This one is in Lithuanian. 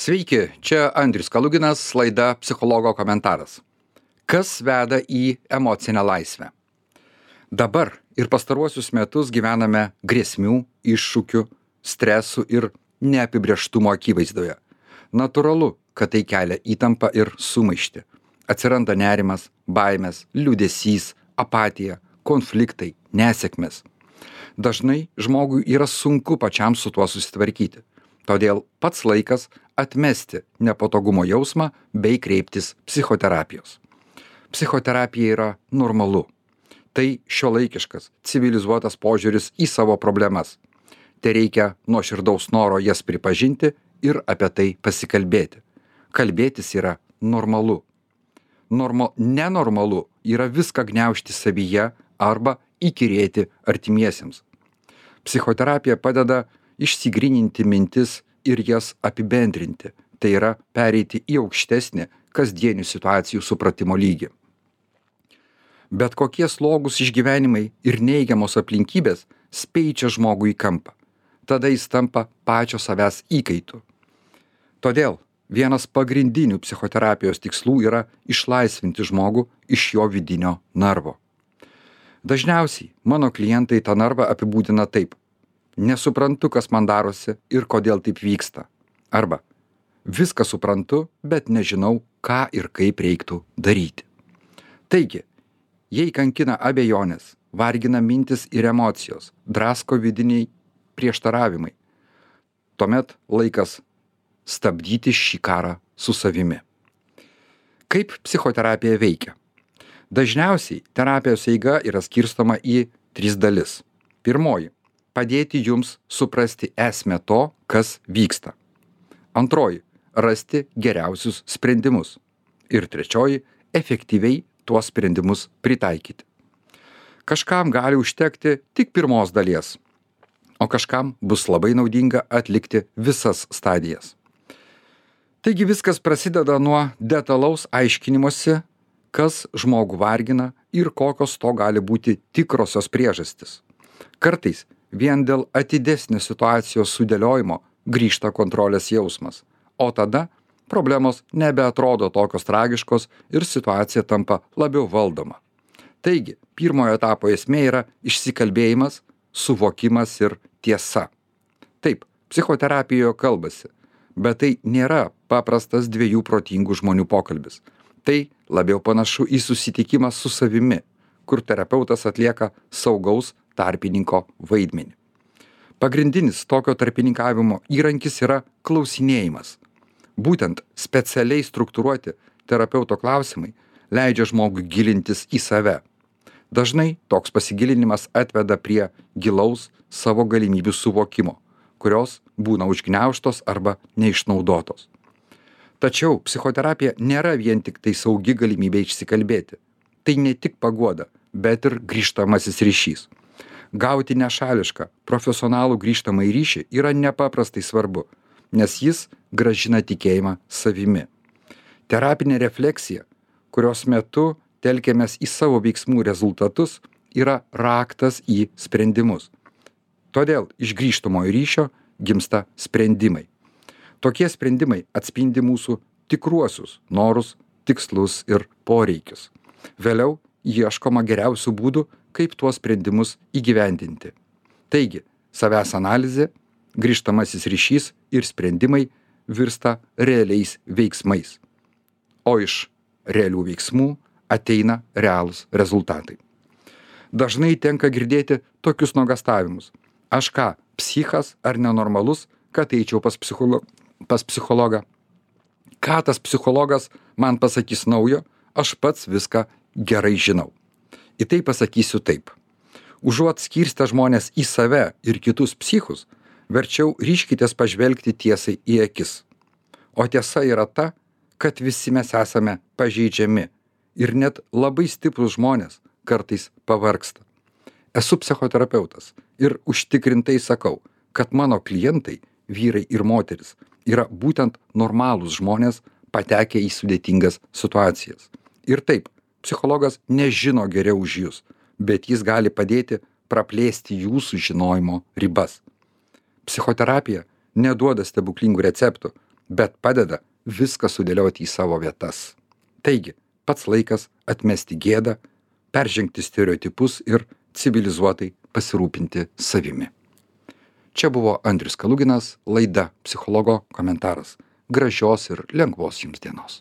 Sveiki, čia Andrius Kaluginas, laida Psichologo komentaras. Kas veda į emocinę laisvę? Dabar ir pastaruosius metus gyvename grėsmių, iššūkių, stresų ir neapibrėžtumo akivaizdoje. Natūralu, kad tai kelia įtampą ir sumaištį. Atsiranda nerimas, baimės, liūdesys, apatija, konfliktai, nesėkmės. Dažnai žmogui yra sunku pačiam su tuo susitvarkyti. Todėl pats laikas atmesti nepatogumo jausmą bei kreiptis psichoterapijos. Psichoterapija yra normalu. Tai šiuolaikiškas, civilizuotas požiūris į savo problemas. Tereikia nuoširdaus noro jas pripažinti ir apie tai pasikalbėti. Kalbėtis yra normalu. Nenormalu yra viską gniaužti savyje arba įkyrėti artimiesiems. Psichoterapija padeda išsigryninti mintis ir jas apibendrinti, tai yra pereiti į aukštesnį kasdienių situacijų supratimo lygį. Bet kokie slogūs išgyvenimai ir neigiamos aplinkybės speičia žmogų į kampą. Tada jis tampa pačio savęs įkaitu. Todėl vienas pagrindinių psichoterapijos tikslų yra išlaisvinti žmogų iš jo vidinio narvo. Dažniausiai mano klientai tą narvą apibūdina taip: nesuprantu, kas man darosi ir kodėl taip vyksta. Arba viską suprantu, bet nežinau, ką ir kaip reiktų daryti. Taigi, jei kankina abejonės, vargina mintis ir emocijos, drasko vidiniai prieštaravimai, tuomet laikas stabdyti šį karą su savimi. Kaip psichoterapija veikia? Dažniausiai terapijos eiga yra skirstoma į 3 dalis. Pirmoji – padėti jums suprasti esmę to, kas vyksta. Antroji – rasti geriausius sprendimus. Ir trečioji – efektyviai tuos sprendimus pritaikyti. Kažkam gali užtekti tik pirmos dalies, o kažkam bus labai naudinga atlikti visas stadijas. Taigi viskas prasideda nuo detalaus aiškinimosi, kas žmogų vargina ir kokios to gali būti tikrosios priežastys. Kartais vien dėl atidesnės situacijos sudėliojimo grįžta kontrolės jausmas, o tada problemos nebeatrodo tokios tragiškos ir situacija tampa labiau valdoma. Taigi, pirmojo etapo esmė yra išsikalbėjimas, suvokimas ir tiesa. Taip, psichoterapijoje kalbasi, bet tai nėra paprastas 2 protingų žmonių pokalbis. Tai labiau panašu į susitikimą su savimi, kur terapeutas atlieka saugaus tarpininko vaidmenį. Pagrindinis tokio tarpininkavimo įrankis yra klausinėjimas. Būtent specialiai struktūruoti terapeuto klausimai leidžia žmogui gilintis į save. Dažnai toks pasigilinimas atveda prie gilaus savo galimybių suvokimo, kurios būna užgniaužtos arba neišnaudotos. Tačiau psichoterapija nėra vien tik tai saugi galimybė išsikalbėti. Tai ne tik paguoda, bet ir grįžtamasis ryšys. Gauti nešališką, profesionalų grįžtamąjį ryšį yra nepaprastai svarbu, nes jis grąžina tikėjimą savimi. Terapinė refleksija, kurios metu telkiamės į savo veiksmų rezultatus, yra raktas į sprendimus. Todėl iš grįžtamojo ryšio gimsta sprendimai. Tokie sprendimai atspindi mūsų tikruosius norus, tikslus ir poreikius. Vėliau ieškoma geriausių būdų, kaip tuos sprendimus įgyvendinti. Taigi, savęs analizė, grįžtamasis ryšys ir sprendimai virsta realiais veiksmais. O iš realių veiksmų ateina realūs rezultatai. Dažnai tenka girdėti tokius nuogąstavimus: aš ką, psichas ar nenormalus, kad eičiau pas psichologą? Ką tas psichologas man pasakys naujo, aš pats viską gerai žinau. Į tai pasakysiu taip: užuot skirstę žmonės į save ir kitus psichus, verčiau ryžkitės pažvelgti tiesai į akis. O tiesa yra ta, kad visi mes esame pažeidžiami ir net labai stiprus žmonės kartais pavargsta. Esu psichoterapeutas ir užtikrintai sakau, kad mano klientai, vyrai ir moteris, yra būtent normalūs žmonės patekę į sudėtingas situacijas. Ir taip, psichologas nežino geriau už jūs, bet jis gali padėti praplėsti jūsų žinojimo ribas. Psichoterapija neduoda stebuklingų receptų, bet padeda viską sudėlioti į savo vietas. Taigi, pats laikas atmesti gėdą, peržengti stereotipus ir civilizuotai pasirūpinti savimi. Čia buvo Andrius Kaluginas, laida Psichologo komentaras. Gražios ir lengvos jums dienos.